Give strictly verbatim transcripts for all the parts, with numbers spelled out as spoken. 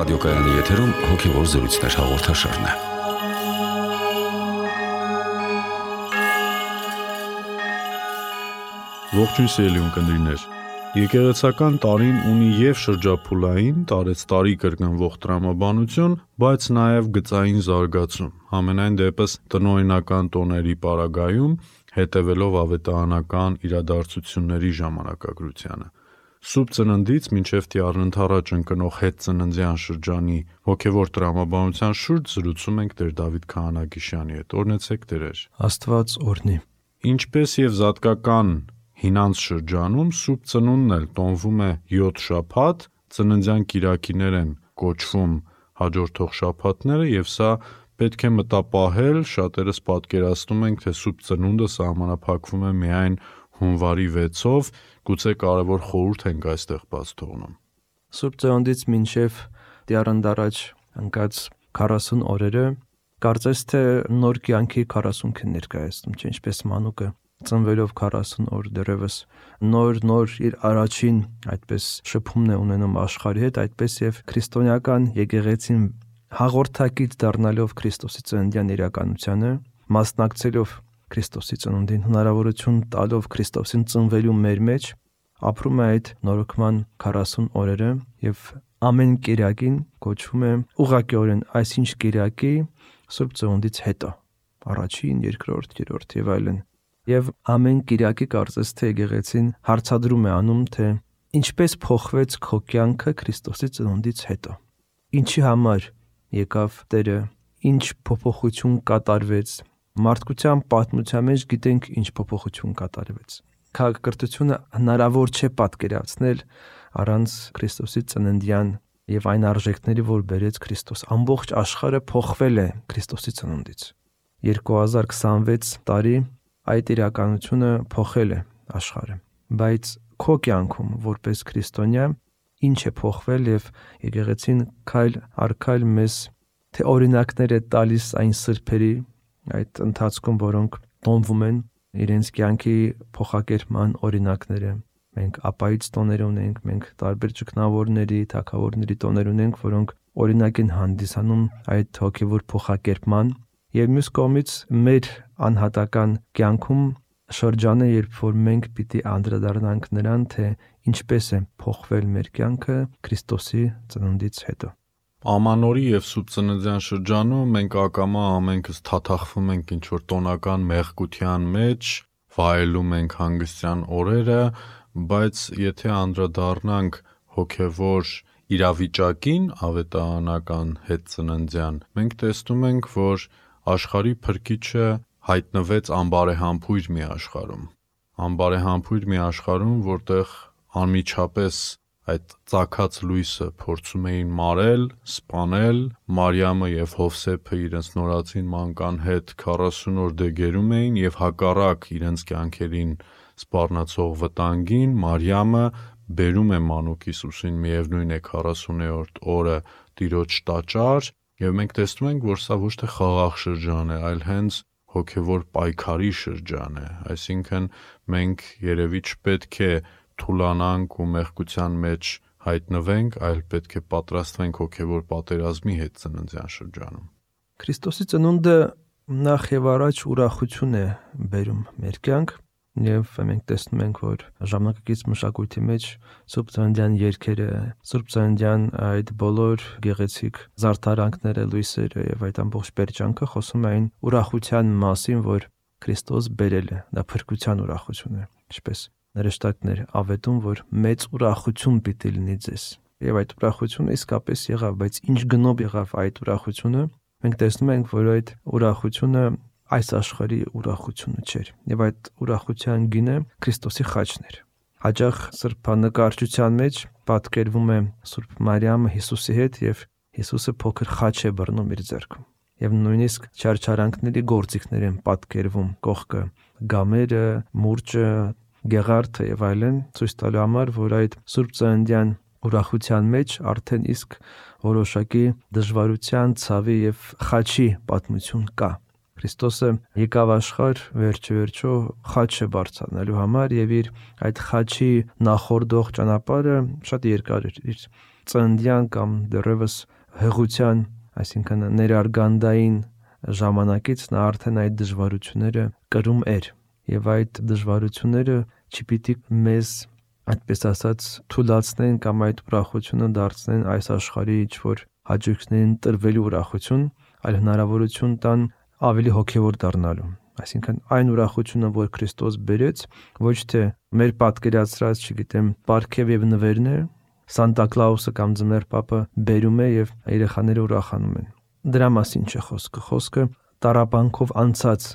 Ռադիոկայանի եթերում հոգևոր զրույցներ հաղորդաշարն է։ Ողջույն սիրելի ունկնդիրներ։ Եկեղեցական տարին ունի և շրջափուլային, տարեցտարի կրկնվող տրամաբանություն, բայց նաև գծային զարգացում, համենայն դեպս տնօրինական տոների պարագայում, հետևելով ավետարանական իրադարձությունների ժամանակագրությանը։ Սուրբ Ծննդից մինչև առնթառաջ ընկնող հետծննդյան շրջանի հոգևոր տրամաբանության շուրջ զրուցում ենք Տեր Դավիթ Քահանագիշյանի հետ։ Օրհնեցեք Տերեր։ Աստված օրհնի։ Ինչպես եւ զատկական հինանց շրջանում Սուրբ Ծնունդն էլ տոնվում է յոթ շաբաթ, ծննդյան կիրակիներ են կոչվում հաջորդող շաբաթները, եւ սա պետք է մտապահել, շատերս պատկերացնում ենք, թե Սուրբ Ծնունդը սահմանափակվում է միայն հունվարի վեցով, գուցե կարևոր խորհուրդ ենք այստեղ բաց թողնում։ Սուրբ Ծննդից մինչև դիառանդարաջ ընկած քառասուն օրերը կարծես թե նոր կյանքի քառասունքը ներկայացնում, չէ՞, ինչպես մանուկը ծնվելով քառասուն օր դեռևս նոր նոր իր առաջին այդպես շփումն է ունենում աշխարհի հետ, այդպես եւ քրիստոնեական եկեղեցին հաղորդակից դառնալով Քրիստոսի ծննդյան իրականությանը, մասնակցելով Քրիստոսի ծնունդին, հնարավորություն տալով Քրիստոսին ծնվելու մեր մեջ, ապրում է այդ նորոգման քառասուն օրերը եւ ամեն կիրակին կոչվում է ուղղակիորեն այսինչ կիրակի Սուրբ Ծնունդից հետո, առաջին, երկրորդ, երրորդ եւ այլն։ Եվ ամեն կիրակի կարծես թե եկեղեցին հարցադրում է անում, թե ինչպես փոխվեց քո կյանքը Քրիստոսի ծնունդից հետո։ Ինչի համար եկավ Տերը, ինչ փոփոխություն կատարվեց։ Մարդկության պատմության մեջ գիտենք ինչ փոփոխություն կատարվեց։ Քաղաքակրթությունը հնարավոր չէ պատկերացնել առանց Քրիստոսի ծննդյան եւ այն արժեքների, որ բերեց Քրիստոս։ Ամբողջ աշխարհը փոխվել է Քրիստոսի ծնունդից։ երկու հազար քսանվեց տարի այդ իրականությունը փոխել է աշխարհը, բայց քո կյանքում որպես քրիստոնյա ինչ է փոխվել եւ եկեղեցին քայլ առ քայլ մեզ թե օրինակներ է տալիս այն սրբերի այդ ընթացքում, որոնք տոնվում են իրենց կյանքի փոխակերպման օրինակները։ Մենք ապայից տոներ ունենք, մենք տարբեր ճգնավորների, թագավորների տոներ ունենք, որոնք օրինակ են հանդիսանում այդ հոգևոր փոխակերպման։ Եվ մյուս կողմից մեր անհատական կյանքում շրջանը, երբ որ մենք պիտի անդրադառնանք նրան, թե ինչպես է փոխվել մեր կյանքը Քրիստոսի ծնունդից հետո։ Ամանորի եւ Սուրբ Ծննդյան շրջանում մենք ակամա ամենքս թաթախվում ենք ինչ-որ տոնական մեղկության մեջ, վայելում ենք հանգստյան օրերը, բայց եթե անդրադառնանք հոգևոր իրավիճակին, ավետարանական հետծննդյան, մենք տեսնում ենք, որ աշխարհի Փրկիչը հայտնվեց անբարեհամբույր մի աշխարհում։ Անբարեհամբույր մի աշխարհում, որտեղ անմիջապես այդ ծագած լույսը փորձում էին մարել, սպանել, Մարիամը եւ Հովսեփը իրենց նորածին մանկան հետ քառասուն օր դեգերում էին եւ հակառակ իրենց կյանքերին սպառնացող վտանգին Մարիամը բերում է մանուկ Հիսուսին միևնույն է քառասուներորդ օրը Տիրոջ տաճար եւ մենք տեսնում ենք, որ սա ոչ թե խաղաղ շրջան է, այլ հենց հոգևոր պայքարի շրջան է, այսինքն մենք երևի չպետք է թուլանանք ու մեղքության մեջ հայտնվենք, այլ պետք է պատրաստվենք հոգևոր պատերազմի հետ ծննդյան շրջանում։ Քրիստոսի ծնունդը նախ եւ առաջ ուրախություն է բերում մեր կյանք, եւ մենք տեսնում ենք, որ ժամանակակից մշակույթի մեջ Սուրբ Ծննդյան երգերը, Սուրբ Ծննդյան այդ բոլոր գեղեցիկ զարդարանքները, լույսերը եւ այդ ամբողջ պերճանքը խոսում են ուրախության մասին, որ Քրիստոս բերել է, դա փրկության ուրախություն է, ինչպես նրեշտակներ ավետում, որ մեծ ուրախություն պիտի լինի ձեզ։ Եվ այդ ուրախությունը իսկապես եղավ, բայց ինչ գնով եղավ այդ ուրախությունը։ Մենք տեսնում ենք, որ այդ ուրախությունը այս աշխարհի ուրախությունը չէր, եւ այդ ուրախության գինը Քրիստոսի խաչն էր։ Հաճախ սրբանկարչության մեջ պատկերվում է Սուրբ Մարիամը Հիսուսի հետ եւ Հիսուսը փոքր խաչ է բռնում իր ձեռքում։ Եվ նույնիսկ չարչարանքների գործիքներ են պատկերվում կողքը, գամերը, մուրճը, գեղարդը եւ այլն, ցույց տալու համար, որ այդ Սուրբ Ծննդյան ուրախության մեջ արդեն իսկ որոշակի դժվարության, ցավի եւ խաչի պատմություն կա։ Քրիստոսը եկավ աշխարհ վերջ-վերջո խաչը բարձրանալու համար եւ իր այդ խաչի նախորդող ճանապարհը շատ երկար էր։ Իր ծննդյան կամ դեռևս հղության, այսինքն ներարգանդային ժամանակից նա արդեն այդ դժվարությունները կրում էր, եւ այդ դժվարությունները չպիտի մեզ, այդպես ասած, թուլացնեն կամ այդ ուրախությունը դարձնեն այս աշխարհի ինչ-որ հաճույքներին տրվելու ուրախություն, այլ հնարավորություն տան ավելի հոգևոր դառնալու։ Այսինքն այն ուրախությունը, որ Քրիստոս բերեց, ոչ թե մեր պատկերացրած, չգիտեմ, պարգև եւ նվերներ, Սանտա Կլաուսը կամ Ձմեռ Պապը բերում է եւ երեխաները ուրախանում են։ Դրա մասին չէ խոսքը։ Խոսքը տառապանքով անցած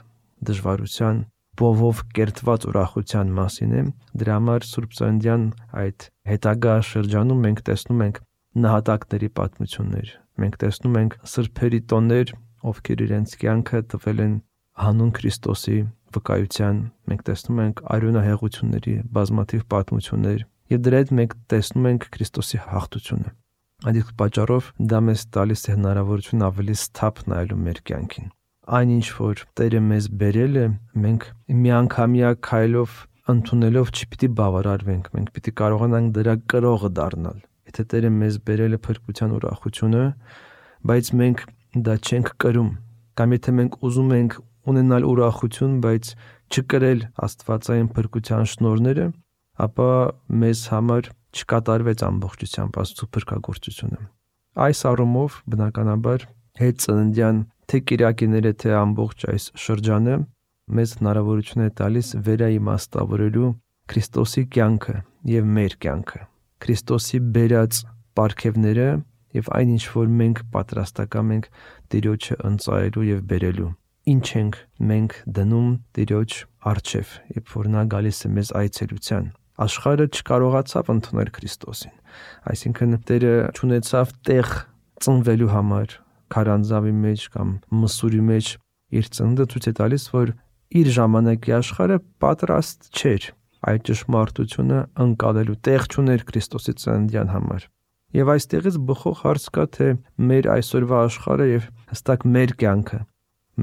դժվարության, բովով կերտված ուրախության մասին է։ Դրա համար Սուրբ Ծննդյան այդ հետագա շրջանում մենք տեսնում ենք նահատակների պատմություններ։ Մենք տեսնում ենք սրբերի տոներ, ովքեր իրենց կյանքը տվել են հանուն Քրիստոսի վկայության, մենք տեսնում ենք արյունահեղությունների բազմաթիվ պատմություններ եւ դրա հետ մենք տեսնում ենք Քրիստոսի հաղթությունը։ Այդ պատճառով դա մեզ տալիս է հնարավորություն ավելի սթափ նայելու մեր կյանքին։ Այնինչ որ Տերը մեզ բերել է, մենք միանգամյա քայլով ընդունելով չպիտի բավարարվենք, մենք պիտի կարողանանք դրա կրողը դառնալ։ Եթե Տերը մեզ բերել է փրկության ուրախությունը, բայց մենք դա չենք կրում, կամ եթե մենք ուզում ենք ունենալ ուրախություն, բայց չկրել աստվածային փրկության շնորհները, ապա մեզ համար չկատարվեց ամբողջությամբ Աստծո փրկagorցությունը։ Այս առումով բնականաբար հետ ծննդյան թե կիրակիները, թե ամբողջ այս շրջանը մեզ հնարավորություն է տալիս վերաիմաստավորելու Քրիստոսի կյանքը եւ մեր կյանքը, Քրիստոսի բերած պարգևները եւ այն ինչ որ մենք պատրաստակամ ենք Տիրոջը ընծայելու եւ բերելու։ Ինչ ենք մենք դնում Տիրոջ առջև, երբ որ նա գալիս է մեզ այցելության։ Աշխարհը չկարողացավ ընդունել Քրիստոսին, այսինքն Տերը չունեցավ տեղ ծնվելու համար քարանձավի մեջ կամ մսուրի մեջ իր ծննդը ցույց է տալիս, որ իր ժամանակի աշխարհը պատրաստ չէր այդ ճշմարտությունը ընկալելու, տեղ չուներ Քրիստոսի ծննդյան համար։ Եվ այստեղից բխող հարց կա, թե մեր այսօրվա աշխարհը եւ հստակ մեր կյանքը,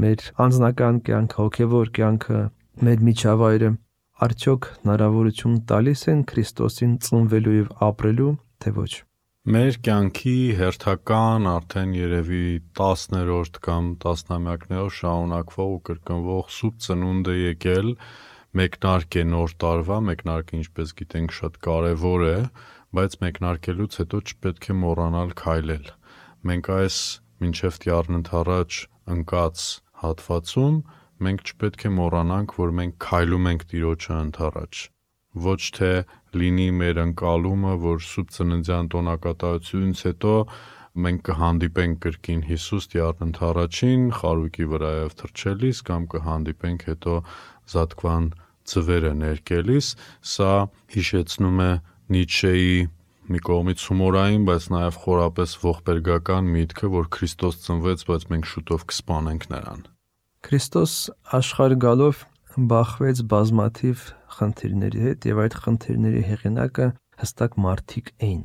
մեր անձնական կյանքը, հոգևոր կյանքը, մեր միջավայրը արդյոք հնարավորություն տալիս են Քրիստոսին ծնվելու եւ ապրելու, թե ոչ։ Մեր կյանքի հերթական արդեն երևի տասներորդ կամ տասնամյակներով շարունակվող ու կրկնվող սուրբ ծնունդ է եկել, մեկնարկ է նոր տարվա, մեկնարկը ինչպես գիտենք շատ կարևոր է, բայց մեկնարկելուց հետո չպետք է մոռանալ քայլել։ Մենք այս մինչև տյառն ընդառաջ ընկած հատվածում մենք չպետք է մոռանանք, որ մենք քայլում ենք Տիրոջը ընդառաջ։ Ոչ թե լինի մեր ընկալումը, որ սուրբ ծննդյան տոնակատարությունից հետո մենք կհանդիպենք կրկին Հիսուս տյառն ընդառաջին խարույկի վրայով թռչելիս կամ կհանդիպենք հետո Զատկվան ձվերը ներկելիս, սա հիշեցնում է Նիցշեի մի կողմից հումորային, բայց նաև խորապես ողբերգական միտքը, որ Քրիստոս ծնվեց, բայց մենք շուտով կսպանենք նրան։ Քրիստոս աշխարհ գալով բախվեց բազմաթիվ խնդիրների հետ եւ այդ խնդիրների հեղինակը հստակ մարդիկ էին։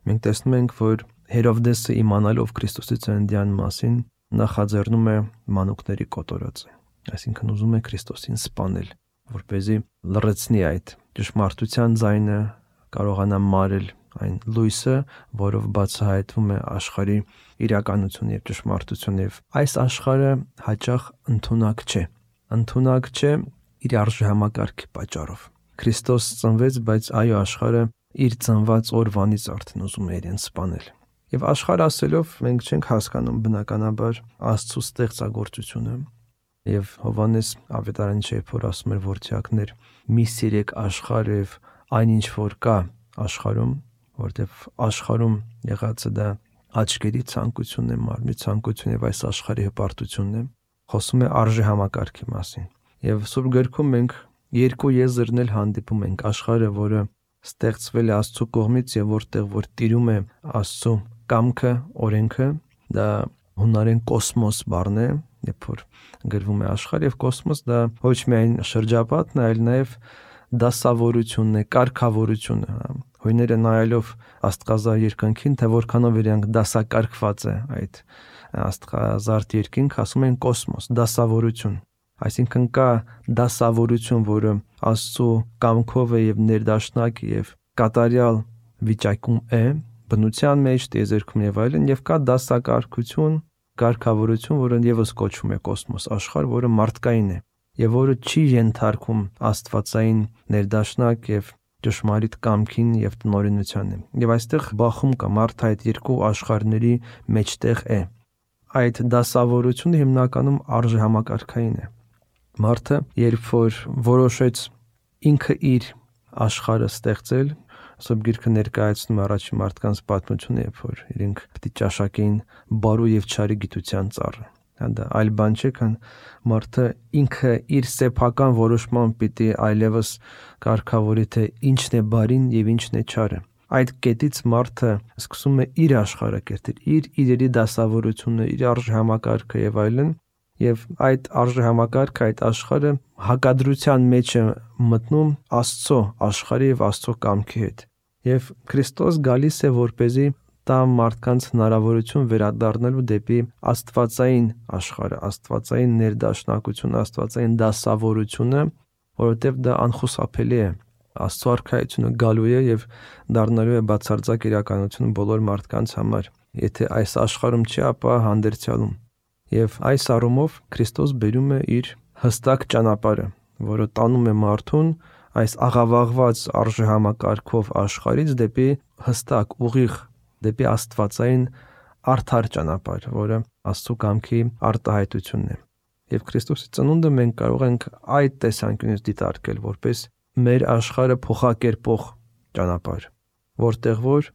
Մենք տեսնում ենք, որ Հերովդեսը իմանալով Քրիստոսի ծննդյան մասին նախաձեռնում է մանուկների կոտորածը, այսինքն ուզում է Քրիստոսին սպանել, որպեսզի լռեցնի այդ ճշմարտության ձայնը, կարողանա մարել այն լույսը, որով բացահայտվում է աշխարհի իրականությունը եւ ճշմարտությունը։ Եվ այս աշխարհը հաճախ ընդունակ չէ։ Ընդունակ չէ իր արժեհամակարգի պատճառով։ Քրիստոս ծնվեց, բայց այո, աշխարհը իր ծնված օրվանից արդեն ուզում է իրեն սպանել։ Եվ աշխարհ ասելով մենք չենք հասկանում բնականաբար Աստծո ստեղծագործությունը։ Եվ Հովհաննես Ավետարանի շեփոր ասում էր, որդյակներ, մի սիրեք աշխարհը եւ այնինչ որ կա աշխարհում, որտեվ աշխարհում եղածը դա աչքերի ցանկությունն է, մարմնի ցանկությունն եւ այս աշխարհի հպարտությունն է, խոսում է արժեհամակարգի մասին։ Եվ Սուրբ Գրքում մենք երկու եզրն էլ հանդիպում ենք՝ աշխարհը, որը ստեղծվել է Աստծո կողմից եւ որտեղ որ տիրում է Աստծո կամքը, օրենքը, դա հունարեն կոսմոս բառն է, երբ որ գրվում է աշխարհ, եւ կոսմոս դա ոչ միայն շրջապատն է, այլ նաեւ դասավորությունն է, կարգավորությունը։ Հույները նայելով աստղազարդ երկնքին, թե որքանով իրանք դասակարգված է այդ աստղազարդ երկինք, ասում են կոսմոս, դասավորություն։ Այսինքն կա դասավորություն, որը Աստծո կամքով է եւ ներդաշնակ եւ կատարյալ վիճակում է, բնության մեջ, տիեզերքում եւ այլն, եւ կա դասակարգություն, կարգավորություն, որը եւս կոչվում է կոսմոս աշխարհ, որը մարդկային է եւ որը չի ենթարկում աստվածային ներդաշնակ եւ ճշմարիտ կամքին եւ տնօրինությանն։ Եվ այստեղ բախում կա, մարդը այդ երկու աշխարհների մեջտեղ է։ Այդ դասավորությունը հիմնականում արժեհամակարգային է։ Մարդը, երբ որ որոշեց ինքը իր աշխարհը ստեղծել, Սուրբ Գիրքը ներկայացնում առաջին մարդկանց պատմությունը, երբ որ իրենք պիտի ճաշակեին բարու եւ չարի գիտության ծառը։ Դա այլ բան չէ, քան մարդը ինքը իր սեփական որոշմամբ պիտի այլևս կարգավորի, թե ինչն է բարին եւ ինչն է չարը։ Այդ կետից մարդը սկսում է իր աշխարհը կերտել, իր իրերի դասավորությունը, իր արժեհամակարգը եւ այլն, եւ այդ արժեհամակարգը, այդ աշխարհը հակադրության մեջ է մտնում Աստծո աշխարհի եւ Աստծո կամքի հետ։ Եվ Քրիստոս գալիս է որպեսզի տա մարդկանց հնարավորություն վերադառնալու դեպի աստվածային աշխարհը, աստվածային ներդաշնակությունը, աստվածային դասավորությունը, որովհետև դա անխուսափելի է։ Աստծո արքայությունը գալու է եւ դառնալու է բացարձակ իրականություն բոլոր մարդկանց համար։ Եթե այս աշխարհում չի, ապա հանդերձյալում։ Եվ այս առումով Քրիստոս բերում է իր հստակ ճանապարհը, որը տանում է մարդուն այս աղավաղված արժեհամակարգով աշխարհից դեպի հստակ ուղիղ, դեպի աստվածային արդար ճանապարհ, որը Աստծո կամքի արտահայտությունն է։ Եվ Քրիստոսի ծնունդը մենք կարող ենք այդ տեսանկյունից դիտարկել որպես մեր աշխարհը փոխակերպող ճանապարհ, որտեղ որ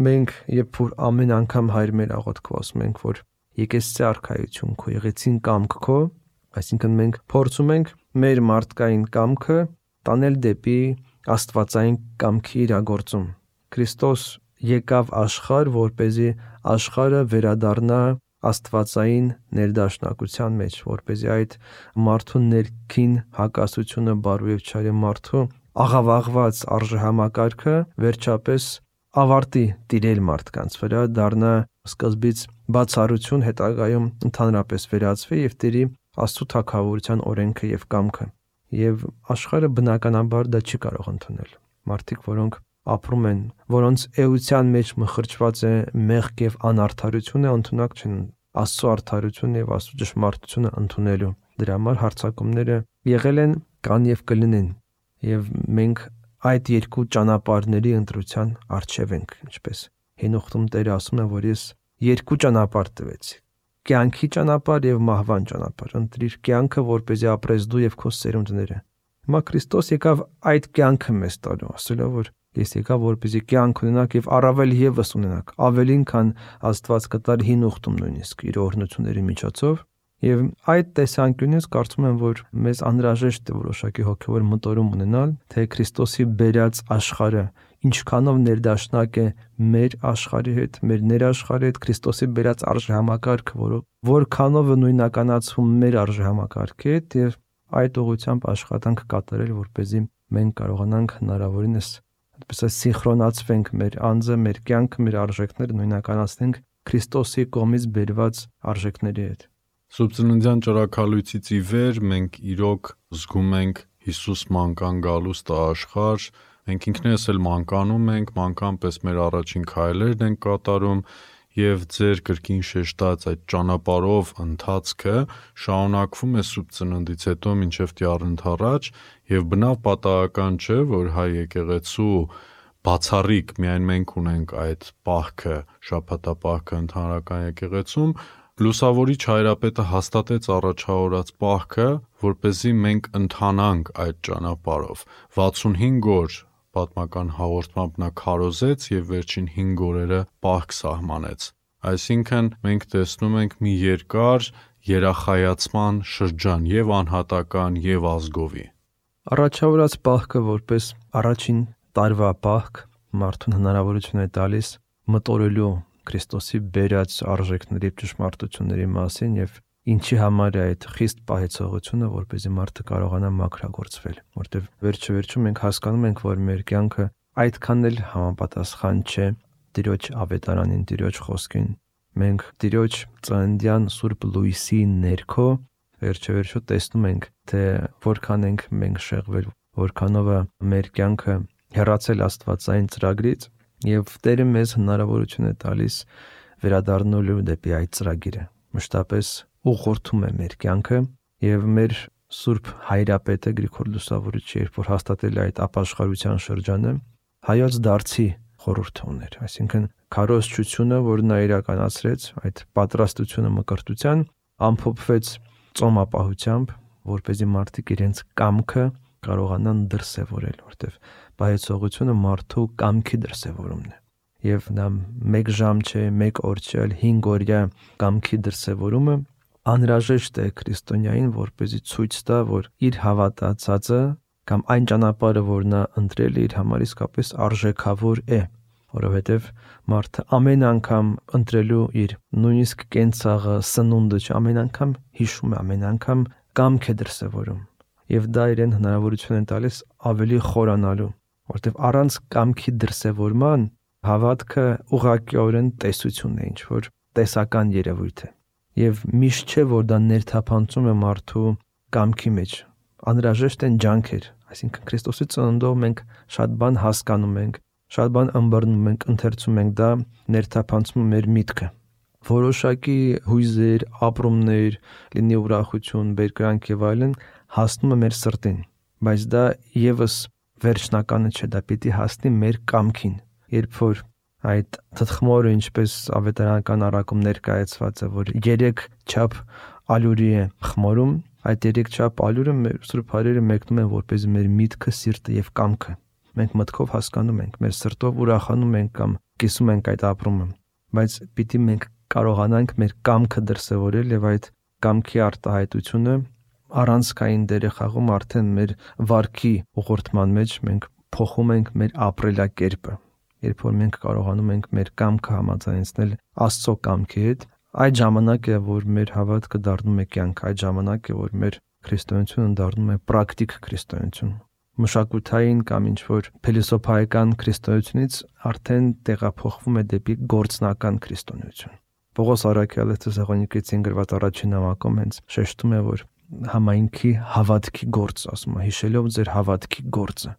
մենք երբ որ ամեն անգամ Հայր մեր աղոթքով ասում ենք, որ եկեցցե արքայություն քո, եղեցին կամք քո, այսինքն մենք փորձում ենք մեր մարդկային կամքը տանել դեպի աստվածային կամքի իրագործում։ Քրիստոս եկավ աշխարհ, որպեսզի աշխարհը վերադառնա աստվածային ներդաշնակության մեջ, որպեսզի այդ մարդու ներքին հակասությունը բարու եւ չարի մարդու աղավաղված արժեհամակարգը վերջապես ավարտի տիրել մարդկանց վրա, դառնա սկզբից բացառություն, հետագայում ընդհանրապես վերածվի եւ տերի Աստծո թագավորության օրենքը եւ կամքը։ Եվ աշխարհը բնականաբար դա չի կարող ընդունել։ Մարդիկ, որոնք ապրում են, որոնց էության մեջ մխրճված է մեղք եւ անարդարությունը, ընդունակ չեն Աստծո արդարությունը եւ Աստծո ճշմարտությունը ընդունելու։ Դրա համար հարձակումները եղել են, կան եւ կլինեն։ Եվ մենք այդ երկու ճանապարհների ընտրության առջև ենք, ինչպես Հենոխտում Տերը ասում է, որ ես երկու ճանապարհ տվեցի։ Կյանքի ճանապարհ եւ մահվան ճանապարհ։ Ընտրիր կյանքը, որպեսզի ապրես դու եւ քո սերունդները։ Հիմա Քրիստոս եկավ այդ կյանքը մեզ տալու, ասելով, որ ես եկա որպեսզի կյանք ունենաք եւ առավել եւս ունենաք, ավելին քան Աստված կտար հին ուխտում նույնիսկ իր օրհնությունների միջոցով։ Եվ այդ տեսանկյունից կարծում եմ, որ մեզ անհրաժեշտ է որոշակի հոգեվոր մտորում ունենալ, թե Քրիստոսի բերած աշխարհը ինչքանով ներդաշնակ է մեր աշխարհի հետ, մեր ներաշխարհի հետ, Քրիստոսի բերած արժեհամակարգը, որը որքանով է նույնականացվում մեր արժեհամակարգի հետ, եւ այդ ուղղությամբ աշխատանք կատարել, որպեսզի մենք կարողանանք հնարավորինս այդպես սինխրոնացվենք մեր անձը, մեր կյանքը, մեր արժեքները նույնականացնենք Քրիստոսի կողմից բերված արժեքների հետ։ Սուրբծննդյան ճրագալույցից ի վեր մենք իրոք զգում ենք Հիսուս մանկան գալուստը աշխարհ, մենք ինքներս էլ մանկանում ենք, մանկան պես մեր առաջին քայլերն ենք կատարում եւ ձեր կրկին շեշտած այդ ճանապարհով ընթացքը շարունակվում է Սուրբծննդից հետո մինչեւ տիառընթառաջ եւ բնավ պատահական չէ, որ հայ եկեղեցու բացառիկ միայն մենք ունենք այդ պահքը, շաբաթապահքը ընդհանրական եկեղեցում, Լուսավորիչ հայրապետը հաստատեց առաջավորած պահքը, որպեսզի մենք ընթանանք այդ ճանապարհով։ վաթսունհինգ օր պատմական հաղորդմամբ նա քարոզեց եւ վերջին հինգ օրերը պահք սահմանեց։ Այսինքն մենք տեսնում ենք մի երկար երախայացման շրջան եւ անհատական եւ ազգովի։ Առաջավորած պահքը որպես առաջին տարվա պահք մարդուն հնարավորություն է տալիս մտորելու Քրիստոսի բերած արժեքների ճշմարտությունների մասին եւ ինչի համար է այդ խիստ պահեցողությունը, որպեսզի մարդը կարողանա մաքրագործվել, որտեղ վերջը վերջում մենք հասկանում ենք, որ մեր կյանքը այդքան էլ համապատասխան չէ Տիրոջ ավետարանին, Տիրոջ խոսքին։ Մենք Տիրոջ ծննդյան Սուրբ Լույսի ներքո վերջը վերջո տեսնում ենք, թե որքան ենք մենք շեղվել, որքանով է մեր կյանքը հեռացել Աստվածային ծրագրից Եվ Տերը մեզ հնարավորություն է տալիս վերադառնալու դեպի այդ ծրագիրը։ Մշտապես ուղղորդում է մեր կյանքը եւ մեր Սուրբ Հայրապետը Գրիգոր Լուսավորիչը, երբ որ հաստատել է այդ ապաշխարության շրջանը, հայոց դարձի խորհուրդ ուներ, այսինքն քարոզչությունը, որ նա իրականացրեց, այդ պատրաստությունը մկրտության ամփոփվեց ծոմապահությամբ, որպեսզի մարդիկ իրենց կամքը կարողանան դրսևորել, որտեվ բայեցողությունը մարդու կամքի դրսևորումն է։ Եվ նա մեկ ժամ չէ, մեկ օր չէ, այլ հինգ օրյա կամքի դրսևորումը անհրաժեշտ է քրիստոնյային, որպեսզի ցույց տա, որ իր հավատացածը կամ այն ճանապարհը, որ նա ընտրել է, իր համար իսկապես արժեքավոր է, որովհետև մարդը ամեն անգամ ընտրելու իր նույնիսկ կենցաղը, սնունդը, ամեն անգամ հիշում է, ամեն անգամ կամք է դրսևորում, եւ դա իրեն հնարավորություն է տալիս ավելի խորանալու, որովհետև առանց կամքի դրսևորման հավատքը ուղղակիորեն տեսություն է, ինչ որ տեսական երևույթ է, եւ միշտ չէ, որ դա ներթափանցում է մարդու կամքի մեջ, անհրաժեշտ են ջանքեր, այսինքն Քրիստոսի ծննդով մենք շատ բան հասկանում ենք, շատ բան ըմբռնում ենք, ընթերցում ենք, դա ներթափանցում է մեր միտքը, որոշակի հույզեր, ապրումներ, լինի ուրախություն, բերկրանք եւ այլն հասնում է մեր սրտին, բայց դա եւս վերջնականը չէ, դա պիտի հասնի մեր կամքին, երբ որ այդ թթխմորը, ինչպես ավետարանական առակում ներկայացված է, որ երեք չափ ալյուրի է խմորում, այդ երեք չափ ալյուրը մեր Սուրբ Հայրերը մեկնում են, որպեսզի մեր միտքը, սիրտը եւ կամքը մենք մտքով հասկանում ենք, մեր սրտով ուրախանում ենք կամ կիսում ենք այդ ապրումը, բայց պիտի մենք կարողանանք մեր կամքը դրսևորել եւ այդ կամքի արտահայտությունը առանցքային դեր է խաղում արդեն մեր վարքի ուղղորդման մեջ, մենք փոխում ենք մեր ապրելակերպը, երբ որ մենք կարողանում ենք մեր կամքը համաձայնեցնել Աստծո կամքի հետ, այդ ժամանակ է, որ մեր հավատքը դառնում է կյանք, այդ ժամանակ է, որ մեր քրիստոնեությունը դառնում է պրակտիկ քրիստոնեություն, մշակութային կամ ինչ որ փիլիսոփայական քրիստոնեությունից արդեն տեղափոխվում է դեպի գործնական քրիստոնեություն։ Պողոս առաքյալը Թեսաղոնիկեցին գրված առաջին նամակում հենց շեշտում է, որ համայնքի հավատքի գործ, ասում է, հիշելով ձեր հավատքի գործը,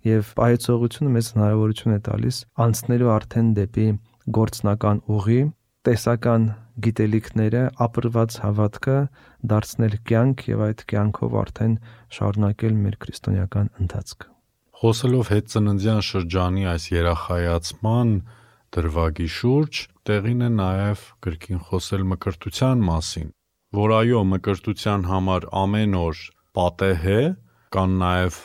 եւ պայծողությունը մեզ հնարավորություն է տալիս անցնելու արդեն դեպի գործնական ուղի, տեսական գիտելիքները, ապրված հավատքը դարձնել կյանք եւ այդ կյանքով արդեն շարունակել մեր քրիստոնեական ընթացքը։ Խոսելով հետծննդյան շրջանի այս երախայացման դրվագի շուրջ, տեղին է նաեւ գրքին խոսել մկրտության մասին, որ այո, մկրտության համար ամեն օր պատեհ է, կան նաեւ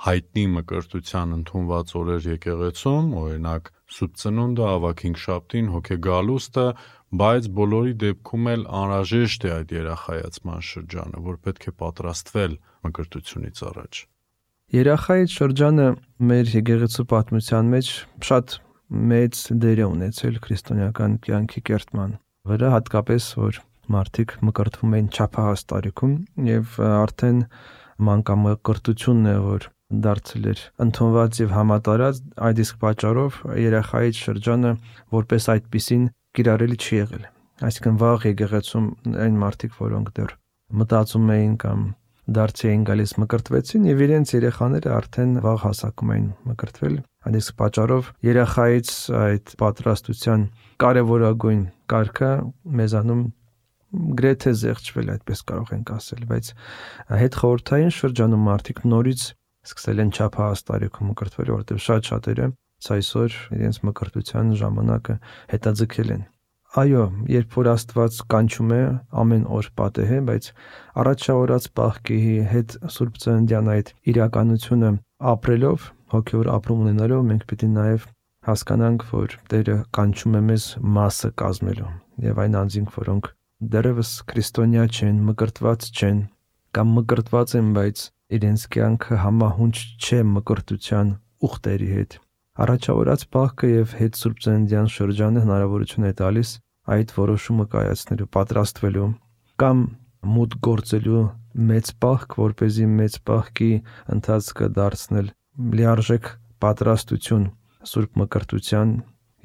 հայտնի մկրտության ընդունված օրեր եկեղեցում, օրինակ Սուրբ Ծնունդը, Ավագ Հինգշաբթին, Հոգեգալուստը, բայց բոլորի դեպքում էլ անհրաժեշտ է այդ երախայացման շրջանը, որ պետք է պատրաստվել մկրտությունից առաջ։ Երախայից շրջանը մեր եկեղեցու պատմության մեջ շատ մեծ դեր է ունեցել քրիստոնեական կյանքի կերտման վրա, հատկապես որ մարդիկ մկրտվում էին չափահաս տարիքում եւ արդեն մանկամկրտությունն է, որ դարձել էր ընդունված եւ համատարած, այդ իսկ պատճառով երախայից շրջանը որպես այդպիսին կիրառելի չի եղել։ Այսինքն վաղ եկեղեցում այն մարդիկ, որոնք դեռ մտածում էին կամ դարձի էին գալիս մկրտվեցին եւ իրենց երեխաները արդեն վաղ հասակում էին մկրտվել։ Այդ իսկ պատճառով երախայից այդ պատրաստության կարևորագույն կարգը մեզանում գրեթե զեղչվել, այդպես կարող ենք ասել, բայց հետ խորհրդային շրջանում մարդիկ նորից սկսել են չափահաս տարիքում մկրտվել, որովհետև շատ շատերը այսօր իրենց մկրտության ժամանակը հետաձգել են։ Այո, երբ որ Աստված կանչում է, ամեն օր պատեհ է, բայց առաջավորած պահքի հետ Սուրբ Ծննդյան այդ իրականությունը ապրելով, հոգևոր ապրում ունենալով, մենք պիտի նաև հասկանանք, որ Տերը կանչում է մեզ մասը կազմելու, եւ այն անձինք, որոնք դեռևս քրիստոնյա չեն, մկրտված չեն, կամ մկրտված են, բայց իրենց կյանքը համահունչ չէ մկրտության ուխտերի հետ։ Առաջավորած պահքը եւ հետ Սուրբ Ծննդյան շրջանը հնարավորություն է տալիս այդ որոշումը կայացնելու, պատրաստվելու կամ մուտք գործելու մեծ պահք, որպեսզի մեծ պահքի ընթացքը դարձնել լիարժեք պատրաստություն Սուրբ մկրտության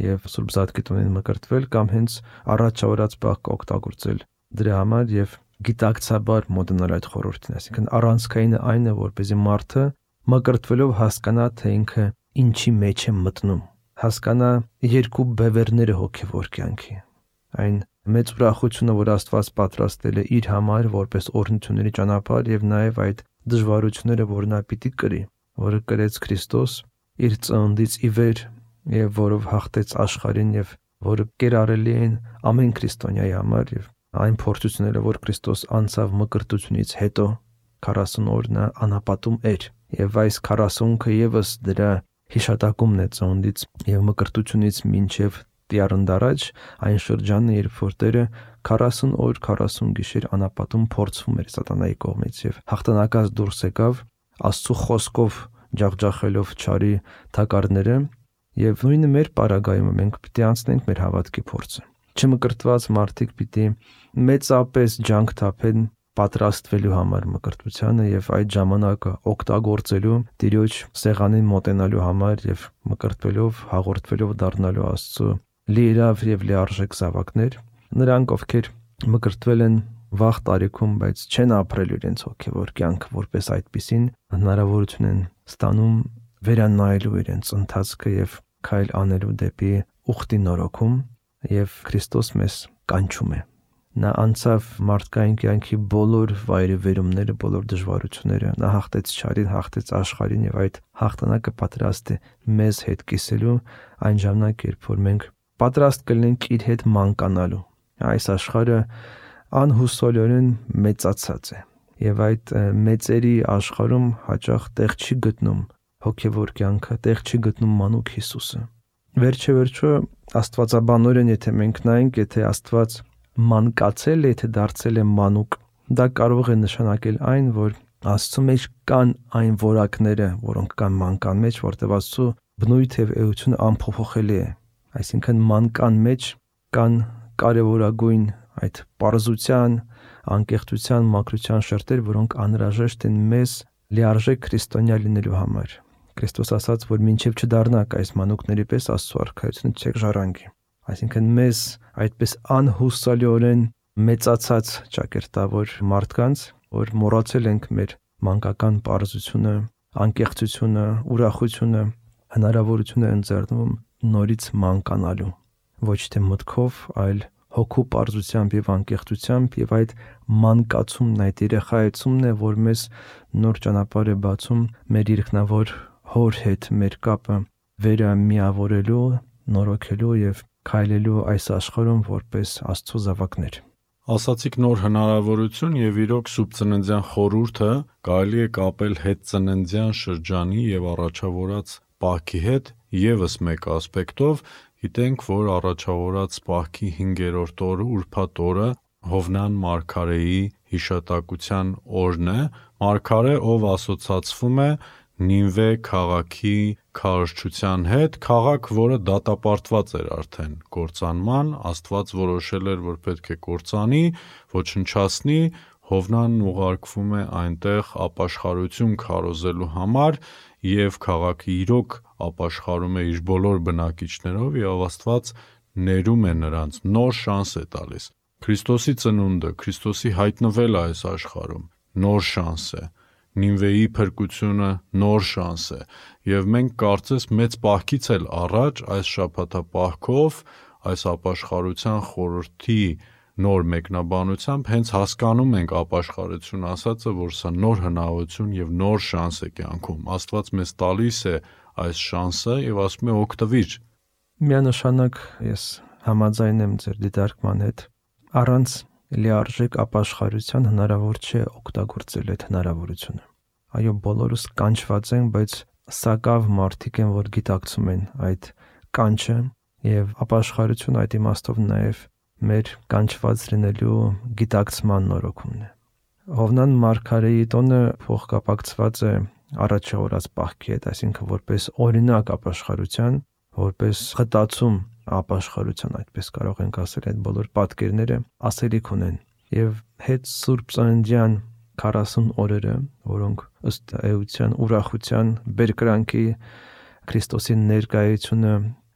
եւ Սուրբ Զատկիտունին մկրտվել կամ հենց առաջավորած պահքը օգտագործել դրա համար եւ գիտակցաբար մոտենալ այդ խորհրդին, այսինքն առանցքայինը այն է, որպեսզի մարդը մկրտվելով հասկանա, թե ինքը ինչի մեջ է մտնում, հասկանա երկու բևեռները հոգևոր կյանքի։ Այն մեծ ուրախությունը, որ Աստված պատրաստել է իր համար որպես օրհնությունների ճանապարհ, եւ նաեւ այդ դժվարությունները, որ նա պիտի կրի, որը կրեց Քրիստոս իր ծնունդից ի վեր եւ որով հաղթեց աշխարհին եւ որը կերարելի են ամեն քրիստոնյայի համար, եւ այն փորձությունները, որ Քրիստոս անցավ մկրտությունից հետո քառասուն օր նա անապատում էր, եւ այս քառասունքը եւս դրա հիշատակումն է ծնունդից եւ մկրտությունից մինչեւ Տիառնդարաջ, այն շրջանն, երբ որ Տերը քառասուն օր քառասուն գիշեր անապատում փորձվում էր սատանայի կողմից եւ հաղթանակած դուրս եկավ Աստծո խոսքով ջախջախելով չարի թակարդները, եւ նույնը մեր պարագայում մենք պիտի անցնենք մեր հավատքի փորձը։ Չմկրտված մարդիկ պիտի մեծապես ջանք թափեն պատրաստվելու համար մկրտությանը եւ այդ ժամանակը օգտագործելու Տիրոջ սեղանին մոտենալու համար եւ մկրտվելով հաղորդվելով դառնալու Աստծո լիիրավ եւ լիարժեք զավակներ, նրանք ովքեր մկրտվել են վաղ տարիքում, բայց չեն ապրել իրենց հոգևոր կյանքը որպես այդպիսին, հնարավորություն են ստանում վերանայելու իրենց ընթացքը եւ քայլ անելու դեպի ուխտի նորոգում, եւ Քրիստոս մեզ կանչում է։ Նա անցավ մարդկային կյանքի բոլոր վայրիվերումները, բոլոր դժվարությունները, նա հաղթեց չարին, հաղթեց աշխարհին եւ այդ հաղթանակը պատրաստ է մեզ հետ կիսելու այն ժամանակ, երբ որ մենք պատրաստ կլինենք իր հետ մանկանալու։ Այս աշխարհը անհուսալիորեն մեծացած է եւ այդ մեծերի աշխարհում հաճախ տեղ չի գտնում հոգևոր կյանքը, տեղ չի գտնում մանուկ Հիսուսը։ Վերջը վերջո աստվածաբանորեն եթե մենք նայենք, եթե Աստված մանկացել է, եթե դարձել է մանուկ, դա կարող է նշանակել այն, որ Աստծո մեջ կան այն որակները, որոնք կան մանկան մեջ, որտեղ Աստծո բնույթ եւ էությունը անփոփոխելի է։ Այսինքն մանկան մեջ կան կարևորագույն այդ պարզության, անկեղծության, մաքրության շերտեր, որոնք անհրաժեշտ են մեզ լիարժեք քրիստոնյա լինելու համար։ Քրիստոս ասաց, որ մինչև չդառնաք այս մանուկների պես Աստծո արքայությունը չեք ժառանգի։ Այսինքն մեզ այդպես անհուսալիորեն մեծացած ճակերտավոր մարդկանց, որ մոռացել ենք մեր մանկական պարզությունը, անկեղծությունը, ուրախությունը, հնարավորություն է ընձեռնում նորից մանկանալու, ոչ թե մտքով, այլ հոգու պարզությամբ եւ անկեղծությամբ, եւ այդ մանկացումն, այդ երեխայացումն է, որ մեզ նոր ճանապարհ է բացում մեր երկնավոր Հոր հետ մեր կապը վերամիավորելու, նորոգելու եւ քայլելու այս աշխարհում որպես Աստծո զավակներ։ Ասացիք նոր հնարավորություն եւ իրոք սուբծննդյան խորհուրդը կարելի է կապել հետծննդյան շրջանի եւ առաջավորած պահքի հետ եւս մեկ ասպեկտով։ Գիտենք, որ առաջավորած պահքի հինգերորդ օրը ուրբաթ օրը Հովնան մարգարեի հիշատակության օրն է, մարգարե, ով ասոցացվում է Նինվե քաղաքի քարոզչության հետ, քաղաք, որը դատապարտված էր արդեն կործանման, Աստված որոշել էր, որ պետք է կործանի, ոչնչացնի, Հովնանն ուղարկվում է այնտեղ ապաշխարություն քարոզելու համար եւ քաղաքը իրոք ապաշխարում է իր բոլոր բնակիչներով եւ Աստված ներում է նրանց, նոր շանս է տալիս։ Քրիստոսի ծնունդը, Քրիստոսի հայտնվելը այս աշխարհում նոր շանս է։ Նինվեի փրկությունը նոր շանս է եւ մենք կարծես մեծ պահքից էլ առաջ այս շաբաթապահքով, այս ապաշխարության խորհրդի նոր մեկնաբանությամբ հենց հասկանում ենք ապաշխարություն ասածը, որ սա նոր հնարավորություն եւ նոր շանս է կյանքում։ Աստված մեզ տալիս է այս շանսը եւ ասում է օգտվիր։ Միանշանակ ես համաձայն եմ ձեր դիտարկման հետ։ Առանց լիարժեք ապաշխարության հնարավոր չէ օգտագործել այդ հնարավորությունը։ Այո, բոլորս կանչված են, բայց սակավ մարդիկ են, որ գիտակցում են այդ կանչը եւ ապաշխարություն այդ իմաստով նաեւ մեր կանչված լինելու գիտակցման նորոգումն է։ Հովնան մարգարեի տոնը փոխկապակցված է առաջավորած պահքի հետ, այսինքն որպես օրինակ ապաշխարության, որպես խտացում ապաշխարության, այդպես կարող ենք ասել, այդ բոլոր պատկերները ասելիք ունեն եւ հետ Սուրբ Ծննդյան քառասուն օրերը, որոնք ըստ էության ուրախության, բերկրանքի, Քրիստոսի ներկայությունը,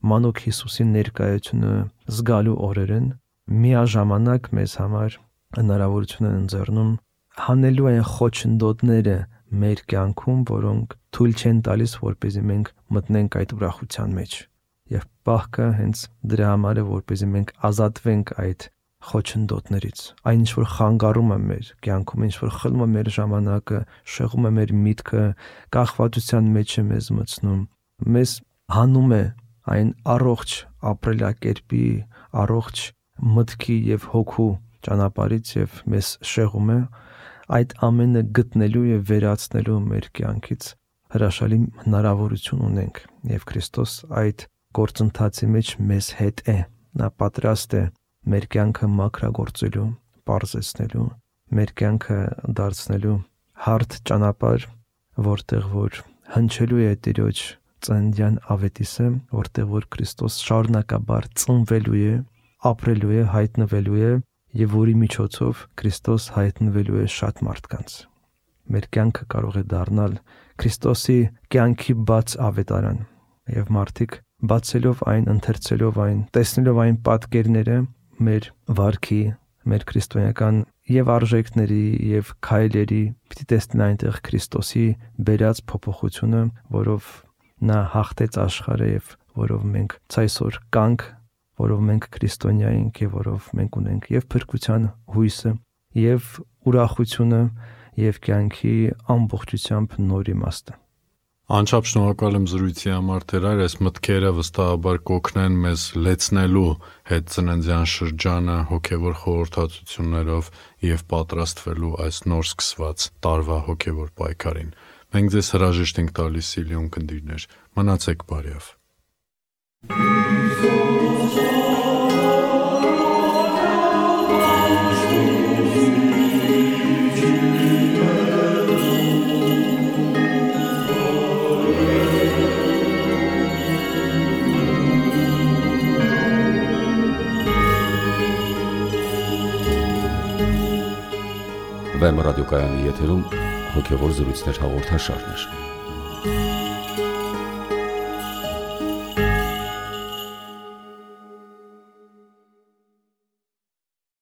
մանուկ Հիսուսի ներկայությունը զգալու օրեր են, միաժամանակ մեզ համար հնարավորություն են ընձեռնում հանելու այն խոչընդոտները մեր կյանքում, որոնք թույլ չեն տալիս, որպեսզի մենք մտնենք այդ ուրախության մեջ։ Եվ պահքը հենց դրա համար է, որպեսզի մենք ազատվենք այդ խոչընդոտներից, այն ինչ որ խանգարում է մեր կյանքում, ինչ որ խլում է մեր ժամանակը, շեղում է մեր միտքը, կախվածության մեջ է մեզ մտցնում, մեզ հանում է այն առողջ ապրելակերպի, առողջ մտքի եւ հոգու ճանապարհից եւ մեզ շեղում է, այդ ամենը գտնելու եւ վերացնելու մեր կյանքից հրաշալի հնարավորություն ունենք եւ Քրիստոս այդ գործընթացի մեջ մեզ հետ է, նա պատրաստ է մեր կյանքը մաքրագործելու, պարզեցնելու, մեր կյանքը դարձնելու հարթ ճանապարհ, որտեղ որ հնչելու է Տիրոջ ծննդյան ավետիսը, որտեղ որ Քրիստոս շարունակաբար ծնվելու է, ապրելու է, հայտնվելու է եւ որի միջոցով Քրիստոս հայտնվելու է շատ մարդկանց։ Մեր կյանքը կարող է դառնալ Քրիստոսի կյանքի բաց ավետարան եւ մարդիկ բացելով այն, ընթերցելով այն, տեսնելով այն պատկերները մեր վարքի, մեր քրիստոնեական եւ արժեքների եւ քայլերի, պիտի տեսնեն այնտեղ Քրիստոսի բերած փոփոխությունը, որով նա հաղթեց աշխարհը եւ որով մենք ցայսօր կանք, որով մենք քրիստոնյա ենք եւ որով մենք ունենք եւ փրկության հույսը եւ ուրախությունը եւ կյանքի ամբողջությամբ նոր իմաստը։ Անչափ շնորհակալ եմ զրույցի համար, Տեր, այս մտքերը վստահաբար կօգնեն մեզ լեցնելու հետ ծննդյան շրջանը հոգևոր խորհրդածություններով եւ պատրաստվելու այս նոր սկսված տարվա հոգևոր պայքարին։ Մենք ձեզ հրաժեշտ ենք տալիս, Սիլիոն քնդիրներ, մնացեք բարյավ։ Վեմ ռադիոկայանի եթերում հոգևոր զրույցներ հաղորդաշարներ։